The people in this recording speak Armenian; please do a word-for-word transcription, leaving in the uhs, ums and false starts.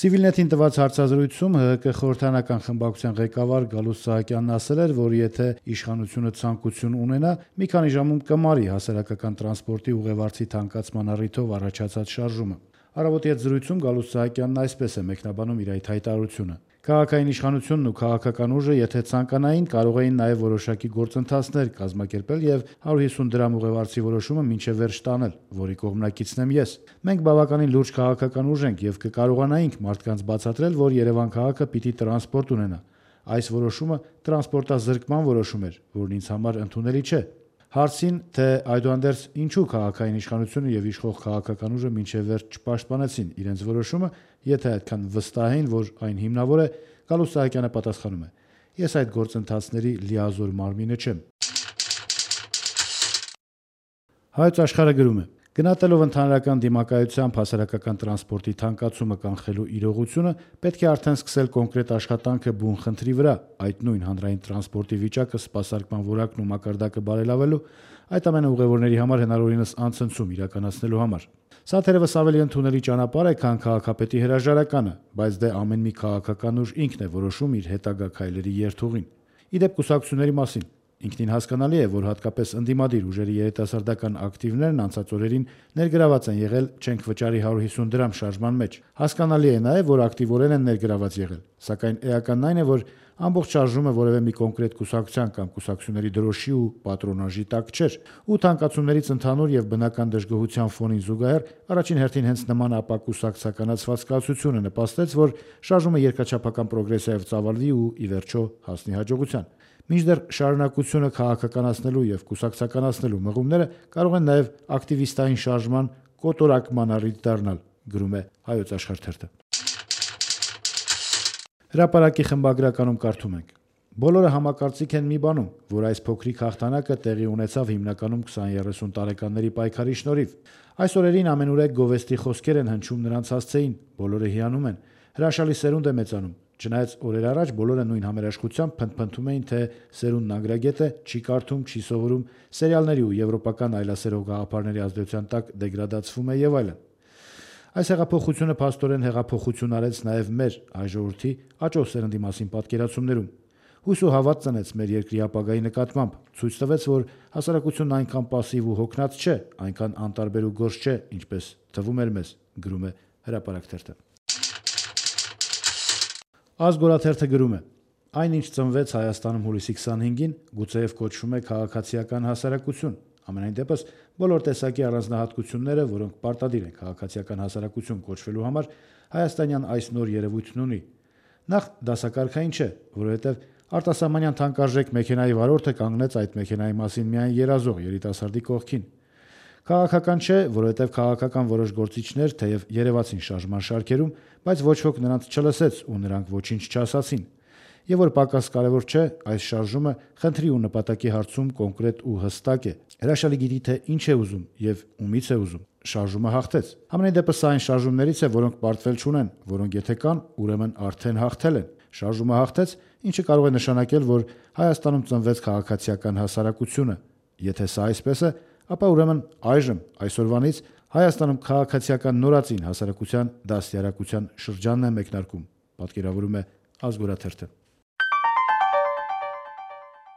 Civilnet-ին տված հարցազրույցում ՀՀԿ խորհրդարանական խմբակցության ղեկավար Գալուստ Սահակյանն ասել էր, որ եթե իշխանությունը ցանկություն ունենա, մի քանի ժամում կմարի հասարակական տրանսպորտի ուղևորցի թանկացման առիթով առաջացած շարժումը։ Առավոտի հետ զրույցում Գալուստ Սահակյանն այսպես է մեկնաբանում իր այդ հայտարարությունը. Քաղաքային իշխանությունն ու քաղաքական ուժը եթե ցանկանային, կարող էին նաև որոշակի գործընթացներ կազմակերպել եւ հարյուր հիսուն դրամ ուղևորցի որոշումը մինչեւ վերջ տանել, որի կողմնակիցն եմ ես։ Մենք բավականին լուրջ քաղաքական ուժ ենք եւ կկարողանայինք մարդկանց բացատրել, որ Երևան քաղաքը պիտի տրանսպորտ ունենա։ Այս որոշումը տրանսպորտազրկման որոշում էր, որն ինձ համար ընդունելի չէ։ Հարցին, թե այդուհանդերձ ինչու քաղաքային իշխանությունը եւ իշխող քաղաքական ուժը մինչեւ վերջ չպաշտպանեցին իրենց որոշումը, եթե այդքան վստահ էին, որ այն հիմնավոր է, Գալուստ Սահակյանը պատասխանում է. Ես այդ գործընթացների լիազոր մարմինը չեմ։ Հայոց աշխարհը գրում է. Գնահատելով ընդհանրական դիմակայությամբ հասարակական տրանսպորտի թանկացումը կանխելու իրողությունը, պետք է արդեն սկսել կոնկրետ աշխատանքը բուն խնդրի վրա, այդ նույն հանրային տրանսպորտի վիճակը սպասարկման որակն ու մակարդակը բարելավելու, այդ ամենը ուղևորների համար հնարավորինս անցնցում իրականացնելու համար։ Սա թերևս ավելի ընդունելի ճանապարհ է, քան քաղաքապետի հրաժարականը, բայց դե ամեն մի քաղաքական ուժ ինքն է որոշում իր հետագա քայլերի երթուղին։ Ի դեպ կուսակցությունների մասին ինքնին հասկանալի է, որ հատկապես ընդդիմադիր ուժերի երիտասարդական ակտիվներն անցած օրերին ներգրաված են եղել չենք վճարի հարյուր հիսուն դրամ շարժման մեջ։ Հասկանալի է նաև, որ ակտիվորեն են ներգրաված եղել, սակայն էականն այն է, որ ամբողջ շարժումը որևէ մի կոնկրետ կուսակցության կամ կուսակցությունների դրոշի ու պատրոնաժի տակ չէր, ու թանկացումներից ընդհանուր եւ բնական դժգոհության ֆոնին զուգահեռ առաջին հերթին հենց նման ապակուսակցականացված կացությունը նպաստեց, որ շարժումը երկրաչափական պրոգրեսիայով ծավալվի ու ի վերջո հասնի հաջողության։ Մինչդեռ շարունակությունը քաղաքականացնելու եւ կուսակցականացնելու մղումները կարող են նաեւ ակտիվիստային շարժման կոտորակման առիթ դառնալ, գրում է Հայոց աշխարհ թերթը։ Հրապարակի խմբագրականում կարդում ենք. Բոլորը համակարծիք են մի բանում, որ այս փոքրիկ հաղթանակը տեղի ունեցավ հիմնականում քսան երեսուն տարեկանների պայքարի շնորհիվ։ Այս օրերին ամենուրեք գովեստի խոսքեր են հնչում նրանց հասցեին, բոլորը հիանում են, հրաշալի սերունդ է մեծանում։ Չնայած օրեր առաջ բոլորը նույն համերաշխությամբ փնթփնթում էին, թե սերունդն անգրագետ է, չի կարդում, չի սովորում, սերիալների ու եվրոպական այլասերող գաղափարների ազդեցության տակ դեգրադացվում է եւ այլն։ Այս հեղափոխությունը փաստորեն հեղափոխություն արեց նաեւ մեր հայ ժողովրդի աճող սերնդի մասին պատկերացումներում։ Հույս ու հավատ ծնեց մեր երկրի ապագայի նկատմամբ, ցույց տվեց, որ հասարակությունն այնքան պասիվ ու հոգնած չէ, այնքան անտարբեր ու գորշ չէ, ինչպես թվում էր մեզ, գրում է Հրապարակ թերթը։ Ազգորաթերթը գրում է. Այնինչ ծնվեց Հայաստանում հուլիսի քսանհինգին, գուցեև կոչվում է քաղաքացիական հասարակություն։ Ամենայն դեպս բոլոր տեսակի առանձնահատկությունները, որոնք պարտադիր են քաղաքացիական հասարակություն կոչվելու համար, հայաստանյան այս նոր երևույթն ունի։ Նախ դասակարգային չէ, որովհետև արտասահմանյան թանկարժեք մեքենայի վարորդը կանգնեց այդ մեքենայի մասին միայն երազող երիտասարդի կողքին։ Քաղաքական չէ, որովհետև քաղաքական որոշ գործիչներ թեև երևացին շարժման շարքերում, բայց ոչ ոք նրանց չլսեց ու նրանք ոչինչ չասացին։ Եվ որ պակաս կարևոր չէ, այս շարժումը խնդրի ու նպատակի հարցում կոնկրետ ու հստակ է։ Հրաշալի գիտի, թե ինչ է ուզում եւ ումից է ուզում։ Շարժումը հաղթեց։ Համենայն դեպս սա այն շարժումներից է, որոնք պարտվել չունեն, որոնք եթե կան, ուրեմն արդեն հաղթել են։ Շարժումը հաղթեց, ինչը կարող է նշանակել, որ Հայաստանում ծնվեց քաղաքացիական հասարակությունը։ Եթե սա այսպես է, ապա ուրեմն այժմ այսօրվանից Հայաստանում քաղաքացիական նորածին հասարակության դաստիարակության շրջանն է մեկնարկում, պատկերավորում է Ազգորաթերթը։